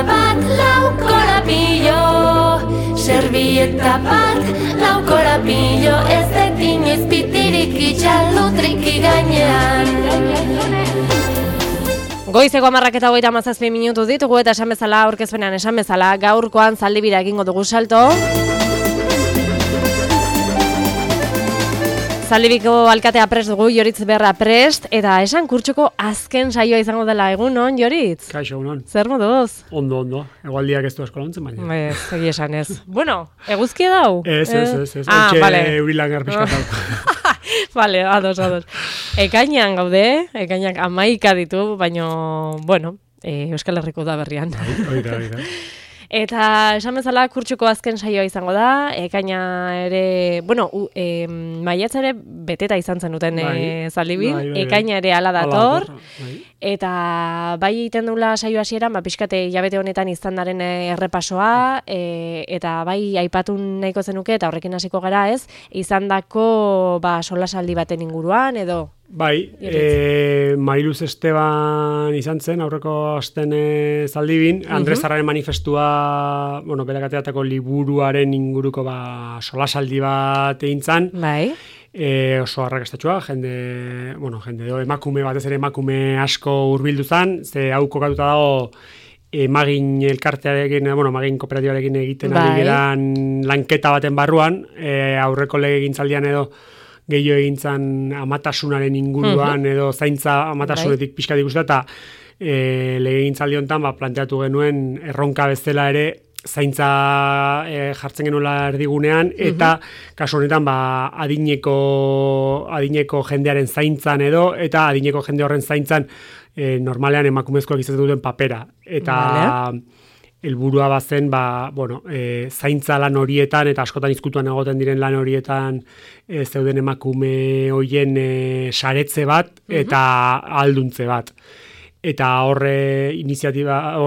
bat, lau korapilo. Servieta bat, lau korapilo. Ez dut inoiz pitirik itxalutriki gainean. Goizeko 10:37 minutu ditugu eta esan bezala, aurkezpenean esan bezala, gaurkoan Zaldibira egingo dugu salto. Zaldibiko alkatea prest dugu, Joritz Berra prest, eta esan kurtxoko azken saioa izango dela egunon, Joritz? Kaixo, egunon. Zer moduz? Ondo. Egualdiak ez du asko lontzen, baina. Egi esan ez. Bueno, eguzkia dau? Ez. Vale. Eurilan garpiskat dau. Vale, ados. Ekainan gaude, ekainak 11 ditu, baina, bueno, Euskal Herriko da berrian. Oida. Eta esan bezala kurtxuko azken saioa izango da, ekaina ere, bueno, maiatza ere beteta izan zen duten Zaldibin, ekaina ere ala dator, eta bai egiten dula saio hasieran, pixkate hilabete honetan izandaren errepasoa, eta bai aipatu nahiko zenuke, eta horrekin hasiko gara ez, izandako solasaldi baten inguruan, edo... Bai, Mariluz Esteban izan zen, aurreko asten Zaldibin, Andres Zarraren manifestua, berak ateratako liburuaren inguruko solasaldi bat egin zen. Bai. Oso arrakastatxoa, emakume batez ere emakume asko hurbildu zen, ze hau kokatuta dago Magin elkartearekin, Magin kooperatibarekin egiten ari geran lanketa baten barruan, aurreko legegintzaldian edo gehiago egintzan amatasunaren inguruan edo zaintza amatasunetik pixkat ikusten, eta legegintzaldi honetan planteatu genuen erronka bezala ere zaintza jartzen genuela erdigunean, eta kasu honetan adineko jendearen zaintzan edo, eta adineko jende horren zaintzan normalean emakumezkoak izaten duten papera. Eta helburua bazen, zaintza lan horietan, eta askotan izkutuan egoten diren lan horietan zeuden emakume hoien saretze bat, eta alduntze bat. Eta horre iniziatiba,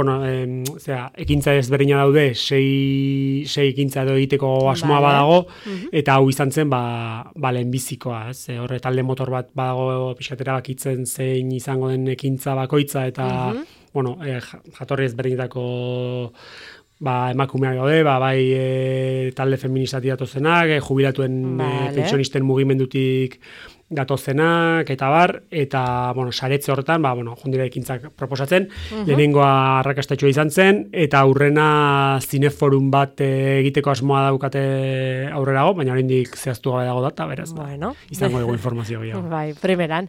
ekintza ezberdina daude, sei ekintza edo egiteko asmoa badago, eta hau izan zen, lehenbizikoa, horre talde motor bat badago pixkatera bakitzen zein izango den ekintza bakoitza, eta jatorri ezberdinetako emakumeak daude, bai talde feministatik datozenak, jubilatuen pentsionisten mugimendutik datozenak, eta saretze horretan, jondira ekintzak proposatzen, lehenengoa arrakastatxoa izan zen, eta aurrena zineforum bat egiteko asmoa daukate aurrerago, baina oraindik zehaztu gabe dago data, beraz, izango dugu informazio gehiago. Bai, primeran.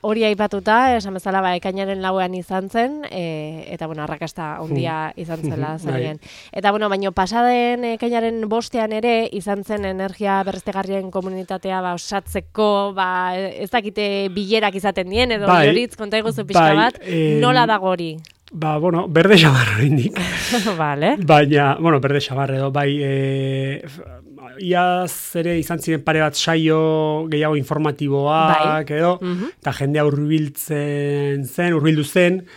Hori aipatuta, esan bezala, ekainaren lauean izan zen, eta, arrakasta ondia izan zela zarien. Eta, baina pasaden ekainaren bostean ere, izan zen energia berriztegarrien komunitatea osatzeko, ez dakite bilerak izaten dien, edo Joritz, konta eguzu pixka bat, nola dago hori? Berde xabar horrendik. Vale. Baina, berde xabar edo, iaz ere izan ziren pare bat saio gehiago informatiboak edo, eta jendea hurbildu zen,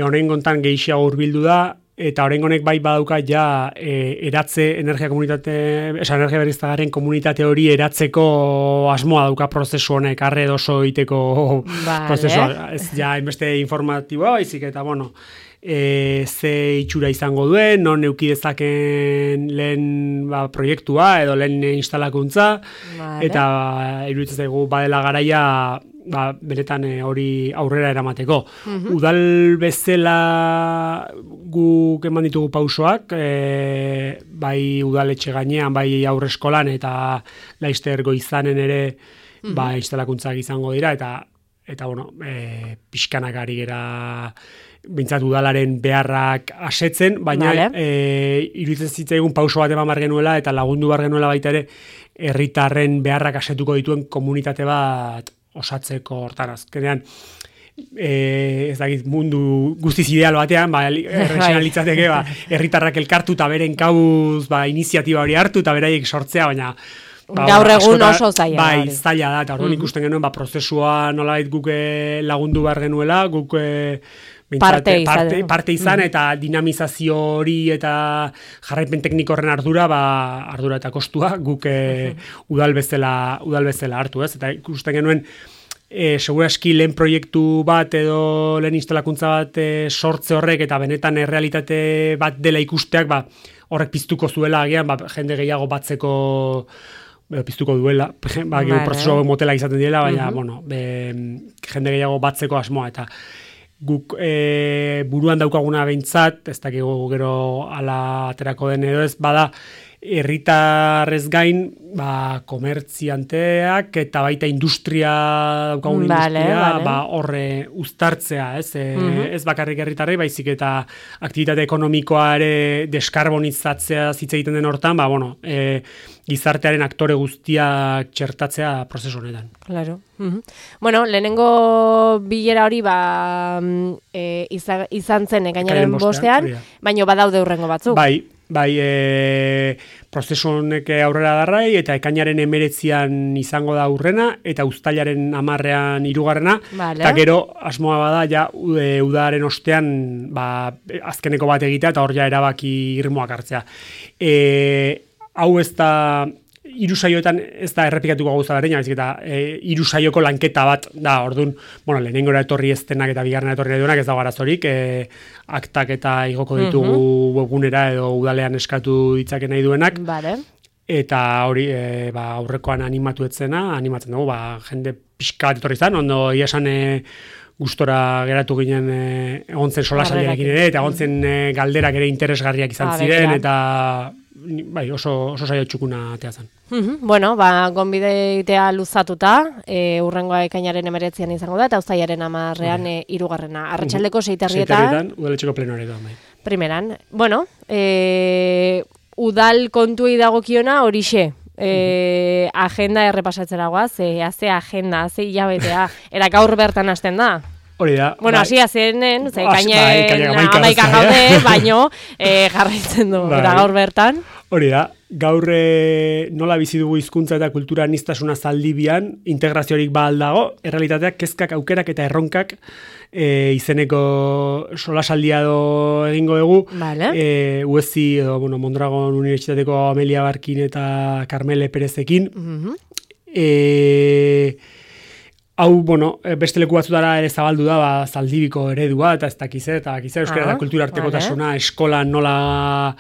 honen gontan gehiago hurbildu da, eta oraingonek badauka eratze energia berriztagarrien komunitate hori eratzeko asmoa dauka prozesu honek, arre oso egiteko prozesua. Ez hainbeste informatiboa, baizik eta ze itxura izango duen, non euki dezaken lehen proiektua edo lehen instalakuntza, eta iruditzen zaigu badela garaia benetan hori aurrera eramateko. Udal bezala guk eman ditugu pausoak, bai udaletxe gainean, bai aurreskolan eta Laister Goizanen ere instalakuntzak izango dira, eta pixkanak ari gera bintzat udalaren beharrak asetzen, baina iruditzen zitzaigun pauso bat eman bar genuela eta lagundu bar genuela baita ere herritarren beharrak asetuko dituen komunitate bat osatzeko hortan azkenean. Ez dakit mundu guztiz ideal batean, errexena litzateke, herritarrak elkartu eta beren kauz iniziatiba hori hartu eta beraiek sortzea, baina gaur egun oso zaila. Bai, zaila da, eta orduan ikusten genuen prozesua nolabait guk lagundu behar genuela, guk parte izan eta dinamizazio hori eta jarraipen tekniko horren ardura eta kostua guk udal bezala hartu, ez? Eta ikusten genuen seguraski lehen proiektu bat edo lehen instalakuntza bat sortze horrek eta benetan errealitate bat dela ikusteak, horrek piztuko zuela agian, jende gehiago batzeko piztuko duela, prozesu motela izaten direla, baina, jende gehiago batzeko asmoa, eta guk buruan daukaguna behintzat, ez dakigu gero ala aterako den edo ez, bada, herritarrez gain, komertzianteak eta baita industria daukagun industria, horre uztartzea, ez bakarrik herritarrei, baizik eta aktibitate ekonomikoa ere deskarbonizatzea hitz egiten den hortan, gizartearen aktore guztiak txertatzea prozesu honetan. Claro. Bueno, lehenengo bilera hori izan zen ekainaren bostean, baina badaude hurrengo batzuk. Prozesu honek aurrera darrai, eta ekainaren 19an izango da hurrena, eta uztailaren 10ean 3. Eta gero, asmoa bada, udaren ostean, azkeneko bat egitea, eta hor ja erabaki irmoak hartzea. Hau ez da, 3 saioetan ez da errepikatuko gauza berdina, baizik eta 3 saioko lanketa bat da, orduan, lehenengora etorri eztenak eta bigarrena etorri duenak ez dago arazorik, aktak eta igoko ditugu webgunera edo udalean eskatu ditzake nahi duenak, eta hori aurrekoan animatzen dugu, jende pixka bat etorri zan, ondo ia esan gustora geratu ginen egon zen solasaldiarekin ere, eta egon zen galderak ere interesgarriak izan ziren, eta oso saio txukuna atea zen. Bueno, gonbideitea luzatuta, hurrengoa ekainaren 19an izango da, eta uztailaren 10ean 3. Arratsaldeko 6:00 udaletxeko plenoaretan. Primeran. Bueno, udal kontuei dagokiona horixe. Agenda errepasatzera goaz, ze agenda, ze hilabetea, era gaur bertan hasten da. Hori da. Bueno, hasi azenen, ekainen 11 gaude, baino jarraitzen du, eta gaur bertan. Hori da, gaur nola bizi dugu hizkuntza eta kultura aniztasuna Zaldibian, integraziorik dago, errealitateak, kezkak, aukerak eta erronkak izeneko solasaldia egingo dugu. USI, Mondragon Unibertsitateko Amelia Barkin eta Carmele Perezekin. Hau, beste leku batzutara ere zabaldu da, Zaldibiko eredua, eta ez dakiz, euskara eta kultura artekotasuna, eskola nola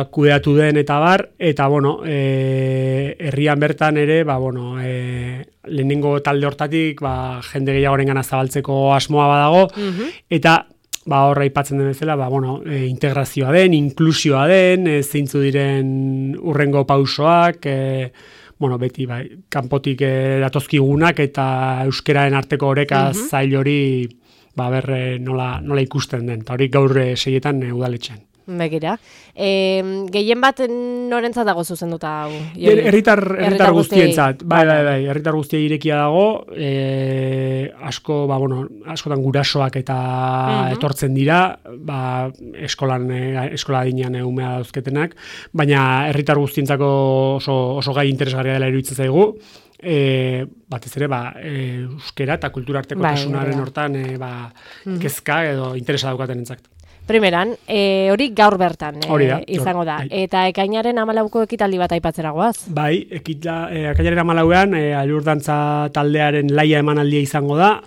kudeatu den eta bar, eta, herrian bertan ere, lehenengo talde hortatik, jende gehiagorengana zabaltzeko asmoa badago, eta, horra aipatzen den bezala, integrazioa den, inklusioa den, zeintzu diren urrengo pausoak, beti, kanpotik datozkigunak eta euskeraren arteko oreka zail hori, nola ikusten den, eta hori gaur 6etan udaletxean. Begira. Gehien bat norentzat dago zuzenduta hau? Herritar guztientzat. Bai, herritar guztia irekia dago, askotan gurasoak eta etortzen dira, eskola adinean umea dauzketenak, baina herritar guztientzako oso gai interesgarria dela iruditzen zaigu, batez ere, euskera eta kultura artekotasunaren hortan kezka edo interesa daukaten entzakt. Primeran, hori gaur bertan izango da. Eta ekainaren 14ko ekitaldi bat aipatzera goaz? Bai, ekainaren 14ean Alurdantza taldearen laia emanaldia izango da.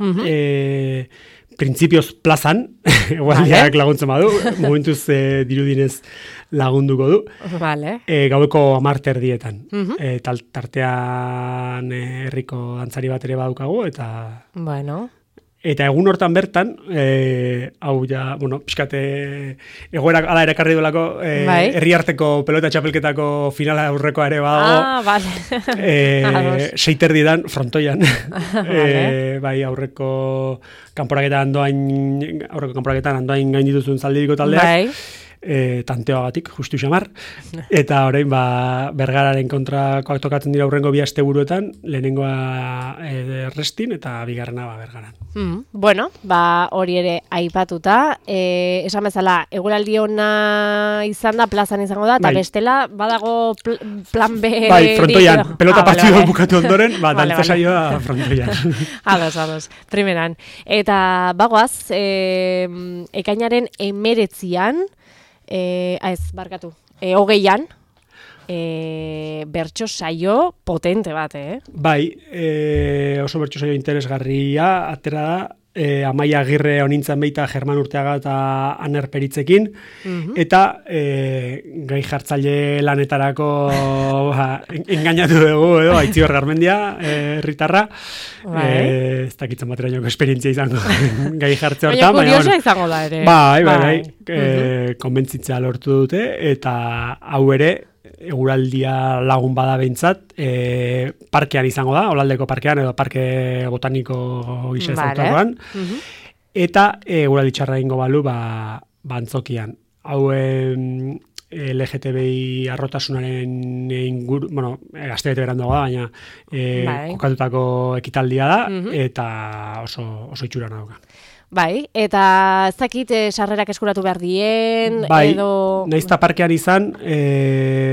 Printzipioz plazan, egualdiak laguntzen badu, momentuz dirudinez lagunduko du. Gaueko 10:00 tartean herriko dantzari bat ere badukagu, eta... Eta egun hortan bertan, hau ja, pixkate egoera ala erakarri duelako, herriarteko pelota txapelketako finala aurrekoa ere badago. 6:30 dan frontoian. Aurreko kanporaketan andoain gain dituzun Zaldibiko taldeak. Tanteoagatik, justu xamar, eta orain Bergararen kontrakoak tokatzen dira hurrengo 2 asteburuetan, lehenengoa Errestin eta bigarrena Bergaran. Hori ere aipatuta, esan bezala, eguraldi ona izan da, plazan izango da, eta bestela badago plan B... Frontoian, pelota partidu bukatu ondoren, dantza saioa frontoian. Ados, primeran. Eta bagoaz, ekainaren 19an, 20an, bertso saio potente bat, Bai, oso bertso saio interesgarria, atera da, Amaia Agirre honintzen baita German Urteaga eta Aner Peritzekin, eta gai jartzaile lanetarako engainatu dugu, Aitziber Garmendia, herritarra, ez dakitzen baterainoko esperientzia izango gai jartze hortan. Baina kuriosa izango da ere. Bai, konbentzitzea lortu dute, eta hau ere, eguraldia lagun bada behintzat, parkean izango da, Olaldeko parkean edo parke botaniko gisa ezautarroan, eta eguraldi txarra ingo balu antzokian. Hau LGTBI arrotasunaren inguru, astebete berandu da, baina kokatutako ekitaldia da, eta oso itxurana dauka. Bai, eta ez dakit sarrerak eskuratu behar dien, edo... Naizta parkean izan,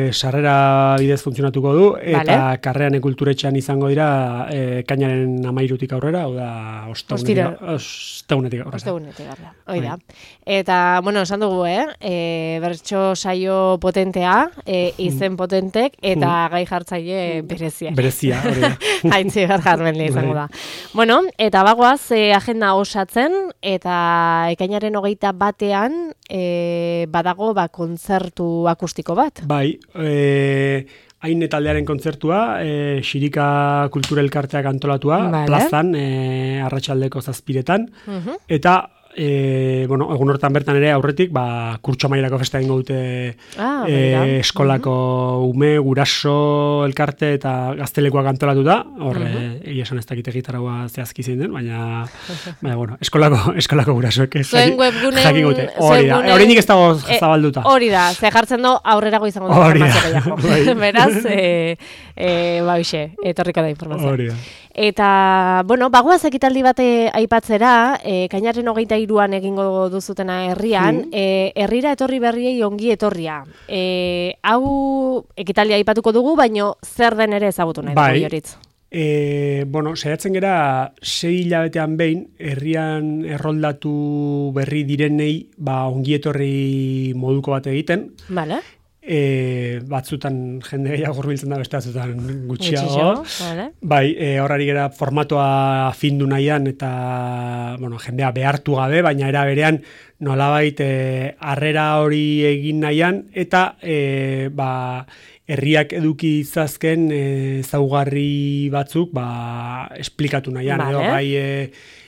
sarrera bidez funtzionatuko du, eta Karrean kulturetxean izango dira kainaren 13 aurrera, hau da, osteunetik aurrera. Oida. Eta, esan dugu, bertso saio potentea, izen potentek, eta gai jartzaile berezia. Berezia, hori da. Aitziber Garmendia izango da. Eta bagoaz, agenda osatzen, eta ekainaren 21 badago kontzertu akustiko bat. Bai, hain taldearen kontzertua, Xirika Kulturelkarteak antolatua, plazan, arratsaldeko 7:00, eta egun hortan bertan ere aurretik, kurtso mailako festa egingo dute eskolako ume, guraso elkarte eta gaztelekoak antolatuta, egia esan ez dakite gitarraua zehazki zein den, baina eskolako gurasoek zuen jakin gute. Horinik ez dago zabalduta. Hori da, ze jartzen du aurrerago izango da informazio. Beraz, baixe, etorriko da informazio. Hori da. Eta, bagoaz ekitaldi bate aipatzera, kainaren 23an egingo duzutena herrian, herrira etorri berriei ongi etorria. Hau ekitaldia aipatuko dugu, baino zer den ere ezagutu nahi dugu Joritz. Saiatzen gera 6 hilabetean behin, herrian erroldatu berri direnei ongi etorri moduko bat egiten. Bale. Batzutan jende gehiago hurbiltzen da, beste batzutan gutxiago. Bai, horrari gera formatoa findu nahian eta jendea behartu gabe, baina era berean nolabait harrera hori egin nahian eta herriak eduki izazken ezaugarri batzuk esplikatu nahian. Bai,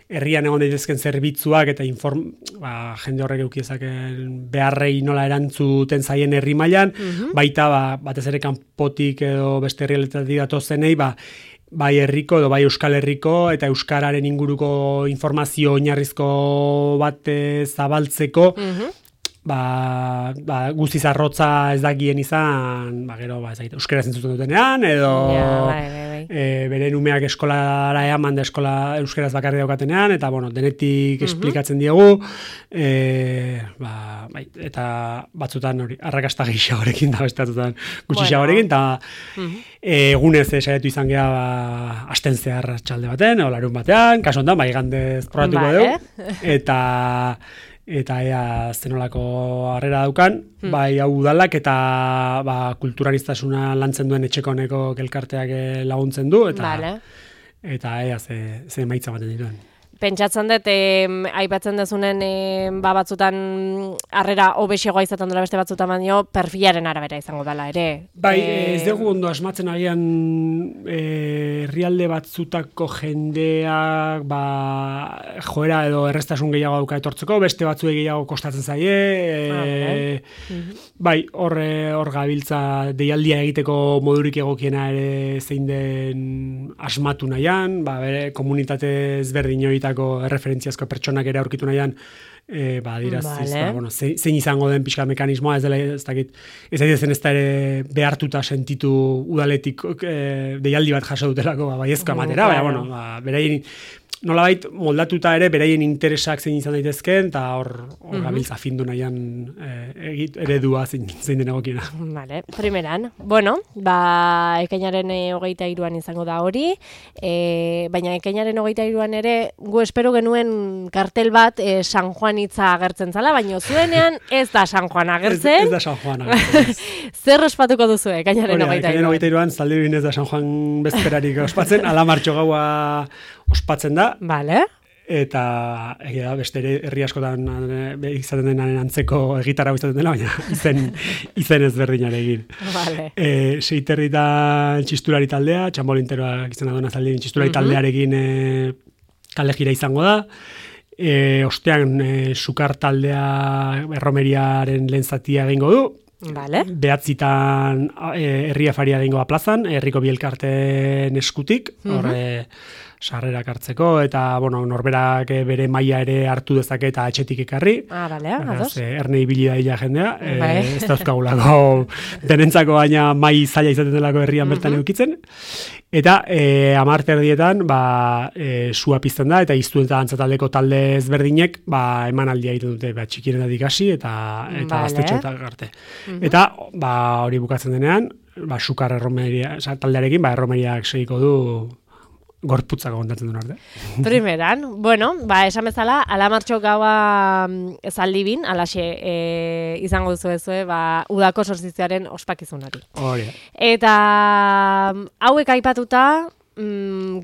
herrian egon daitezken zerbitzuak eta jende horrek edukizaken beharrei nola erantzuten zaien herri mailan, baita batez ere kanpotik edo beste herrialetatik datozenei, bai herriko edo bai Euskal Herriko eta euskararen inguruko informazio oinarrizko bat zabaltzeko, guztiz arrotza ez dakien izan, gero euskaraz entzuten dutenean, edo beren umeak eskolara eaman da eskola euskaraz bakarri daukatenean, eta denetik esplikatzen diegu, eta batzutan hori, arrakasta gehiagorekin da, beste batzutan gutxiagorekin, eta egunez saiatu izan geha asten zehar txalde baten, o larun batean, kaso ondan, igandez probatuko dugu, eta ea zenolako harrera daukan, bai hau udalak eta kulturanistasuna lantzen duen etxeko honeko elkarteak laguntzen du, eta ea ze emaitza baten dituen. Pentsatzen dut, aipatzen dezunen batzutan harrera hobexegoa izaten dela beste batzutan baino, perfilaren arabera izango dela ere. Bai, ez dugu ondo asmatzen agian herrialde batzutako jendeak joera edo errestasun gehiago dauka etortzeko, beste batzuek gehiago kostatzen zaie, bai, hor gabiltza deialdia egiteko modurik egokiena ere zein den asmatu nahian, bere komunitate ezberdin erreferentziazko pertsonak ere aurkitu nahian, zein izango den pixka mekanismoa, ez dakit, ez da ere behartuta sentitu udaletik deialdi bat jaso dutelako baiezko amatera, beraien nolabait moldatuta ere beraien interesak zein izan daitezkeen, eta hor gabiltza findu nahian eredua zein den egokiena. Vale, primeran. Bueno, ekainaren 23an izango da hori, baina ekainaren 23an ere, gu espero genuen kartel bat San Juan hitza agertzen zala, baina zuenean ez da San Juan agertzen. Ez da San Juan agertzen. Zer ospatuko duzu ekainaren 23an? Ekainaren 23an Zaldibin ez da San Juan bezperarik ospatzen, Alamartxo gaua ospatzen da. Vale. Eta beste herri askotan izaten denaren antzeko egitarra izaten dela, baina izen ezberdinarekin. Vale. Seiterritan txistulari taldea, txambolinteroak izan adona Zaldibin txistulari taldearekin kale gira izango da. Ostean sukar taldea erromeriaren lehen zatia egingo du. Vale. Behatzitan herri afaria egingo da plazan, herriko bielkarten eskutik, horre sarrerak hartzeko, eta norberak bere maila ere hartu dezake eta etxetik ekarri. Vale, ados. Erne ibili da jendea, ez dauzkagulako denentzako baina mai zaila izaten delako herrian bertan eukitzen. Eta 10 erdietan sua pizten da, eta iztu eta dantzataldeko talde ezberdinek emanaldia egiten dute txikienetik hasi eta gaztetxoetak arte. Eta hori bukatzen denean, sukar erromeria, taldearekin erromeriak segiko du gorputzako kontatzen duen arte. Primeran, esan bezala, Alamartxo gaua Zaldibin, alaxe izango duzu udako sortzitzearen ospakizunari. Hori. Eta hauek aipatuta,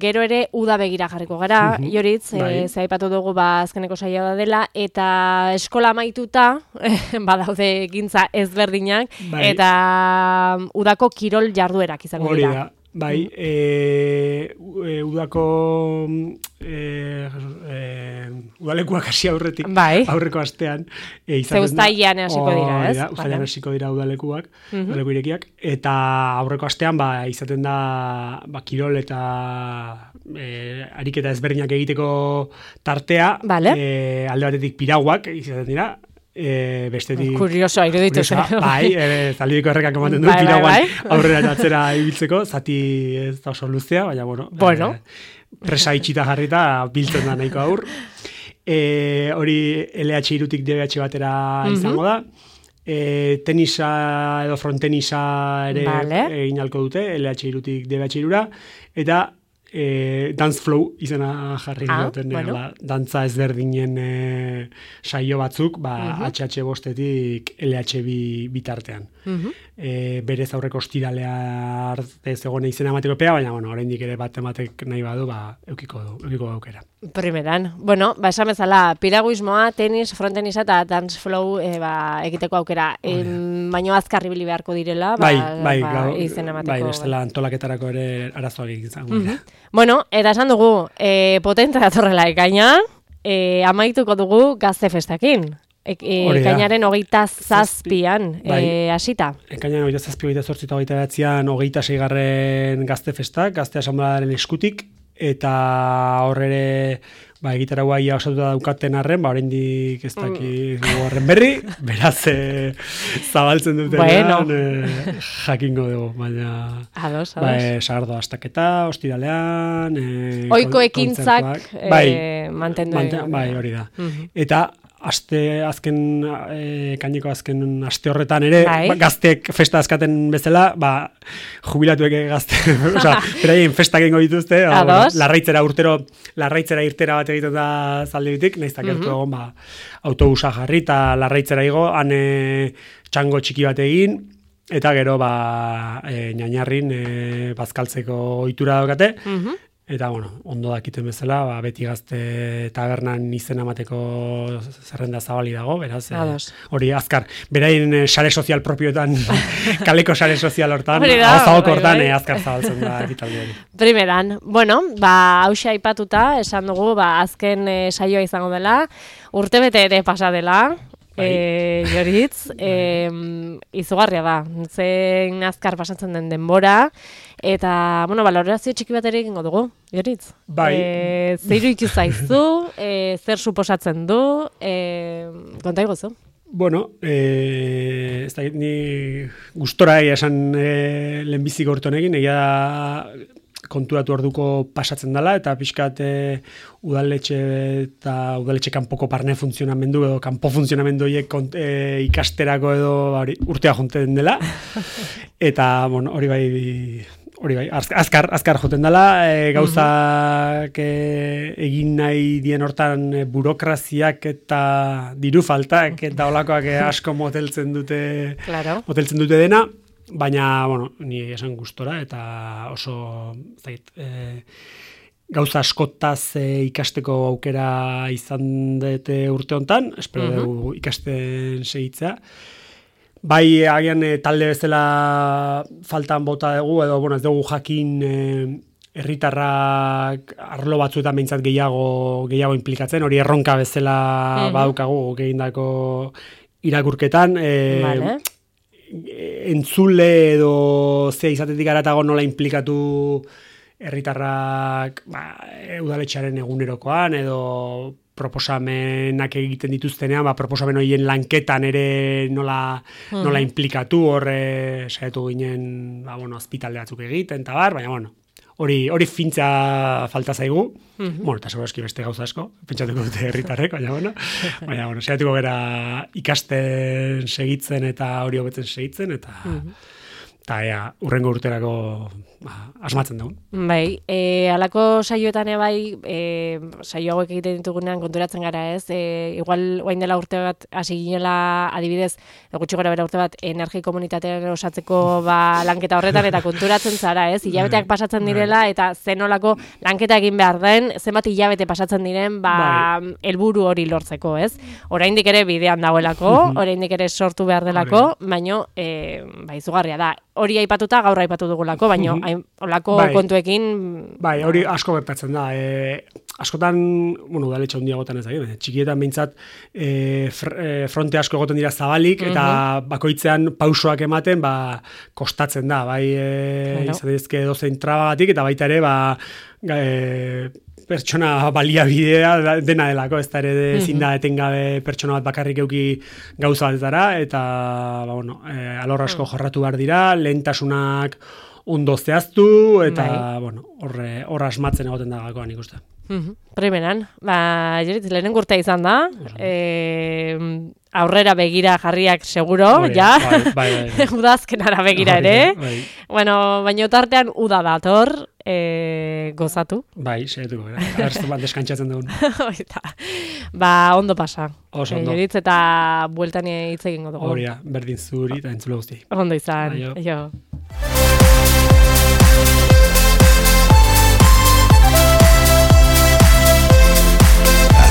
gero ere uda begira jarriko gara, Joritz, ze aipatu dugu azkeneko saioa da dela, eta eskola amaituta, badaude gintza ezberdinak, eta udako kirol jarduerak izango dira. Hori da. Udako udalekuak hasi aurretik, aurreko astean uztailean hasiko dira, ez? Uztailean hasiko dira udalekuak, udaleku irekiak, eta aurreko astean izaten da kirol eta ariketa ezberdinak egiteko tartea, alde batetik piraguak izaten dira, bestetik kuriosoa iruditu zen. Zaldibiko errekak ematen du piraguan aurrera eta atzera ibiltzeko, zati ez da oso luzea, baina presa itxita jarrita biltzen da nahiko aur. Hori LH irutik DBH batera izango da. Tenisa edo frontenisa ere egin alko dute, LH irutik DBH irura, eta Dance Flow izena jarri duten, dantza ezberdinen saio batzuk, HH bostetik LH bitartean. Berez aurreko ostiralea arte zegoen izena emateko epea, baina oraindik ere bat ematek nahi badu, eukiko aukera. Primeran. Esan bezala, piraguismoa, tenis, frontenisa eta dance flow egiteko aukera. Baina azkar ibili beharko direla, izena emateko. Bestela antolaketarako ere arazoak izango dira. Eta esan dugu, potente datorrela ekaina, amaituko dugu gazte festakin. Ekainaren 27an hasita. Ekainaren 27, 28 eta 29an 26. gazte festak, gazte asanbladaren eskutik, eta horre egitaragua ia osatuta daukaten arren, oraindik ez dakit horren berri, beraz zabaltzen dutenean jakingo dugu, baina sagardo astaketa, ostiralean, oiko ekintzak mantendu. Hori da. Eta kaineko azken aste horretan ere, gaztek festa azkaten bezala, jubilatuek gazte, beraien festak egingo dituzte, larraitzera irtera bat egiten da Zaldibitik, naiztak gertu egon, autobusa jarri eta larraitzera igo, han txango txiki bat egin, eta gero Ñañarrin bazkaltzeko ohitura daukate, eta, ondo dakiten bezala, beti gazte tabernan izena emateko zerrenda zabali dago, beraz, hori azkar, beraien sare sozial propioetan, kaleko sare sozial hortan, hauzagok hortan, azkar zabaltzen da ekitaldi hori. Primeran, hauxe aipatuta, esan dugu, azken saioa izango dela, urtebete ere pasa dela, Joritz, izugarria da, zen azkar pasatzen den denbora, eta, balorazio txiki bat ere egingo dugu, Joritz. Zer iruditu zaizu, zer suposatzen du, konta iguzu? Ez da, ni gustora esan lehenbizik hortonekin, egia konturatu orduko pasatzen dela, eta pixkat udaletxe kanpoko barne funtzionamendu edo kanpo funtzionamendu horiek ikasterako edo urtea jonten dela. Eta, bueno, hori bai, azkar joten dela, gauzak egin nahi dien hortan burokraziak eta diru faltak eta olakoak asko moteltzen dute dena, baina, bueno, ni esan gustora eta oso gauza askotaz ikasteko aukera izan dute urte hontan, espero dugu ikasten segitzea. Bai, agian talde bezala faltan bota dugu, edo, bueno, ez dugu jakin herritarrak arlo batzuetan behintzat gehiago inplikatzen, hori erronka bezala badukagu egindako irakurketan. Entzule edo zea izatetik aratago nola inplikatu herritarrak udaletxearen egunerokoan edo proposamenak egiten dituztenean, proposamen horien lanketan ere nola inplikatu, saiatu ginen, azpitalde batzuk egiten, eta baina, bueno, hori fintza falta zaigu, bueno, eta segurazki beste gauza asko, pentsatuko dute herritarrek, baina, saiatuko gara ikasten segitzen eta hori hobetzen segitzen, eta urrengo urterako asmatzen dugu. Bai, alako saioetan bai, saio hauek egiten ditugunean konturatzen gara ez, igual oain dela urte bat hasi ginela adibidez, gutxi gora bera urte bat energi komunitatean osatzeko lanketa horretan eta konturatzen zara ez, hilabeteak pasatzen direla eta zenolako lanketa egin behar den, zenbat hilabete pasatzen diren helburu hori lortzeko ez. Oraindik ere bidean dagoelako, oraindik ere sortu behar delako, baino izugarria da. Hori aipatuta gaur aipatu dugulako, baino olako kontuekin... Bai, hori asko gertatzen da. Askotan, udaletxe handiagotan ez da, txikietan behintzat fronte asko egoten dira zabalik, eta bakoitzean pausoak ematen, kostatzen da, izan dizke dozein trabagatik, eta baita ere, pertsona baliabidea dena delako, ez da ere ezin da etengabe pertsona bat bakarrik euki gauza batetara, eta alor asko jorratu behar dira, lehentasunak ondo zehaztu, eta hor asmatzen egoten da gakoan ikusten. Primeran, Joritz, lehenen urtea izan da, aurrera begira jarriak seguro, ja, udazkenara begira ere, bueno, baina tartean uda dator, gozatu. Bai, seetuko, errestu bat deskantzatzen dugun. Ondo pasa. Joritz, eta bueltan hitz egingo dugu. Horia, berdin zuri eta entzule guzti. Ondo izan, jo.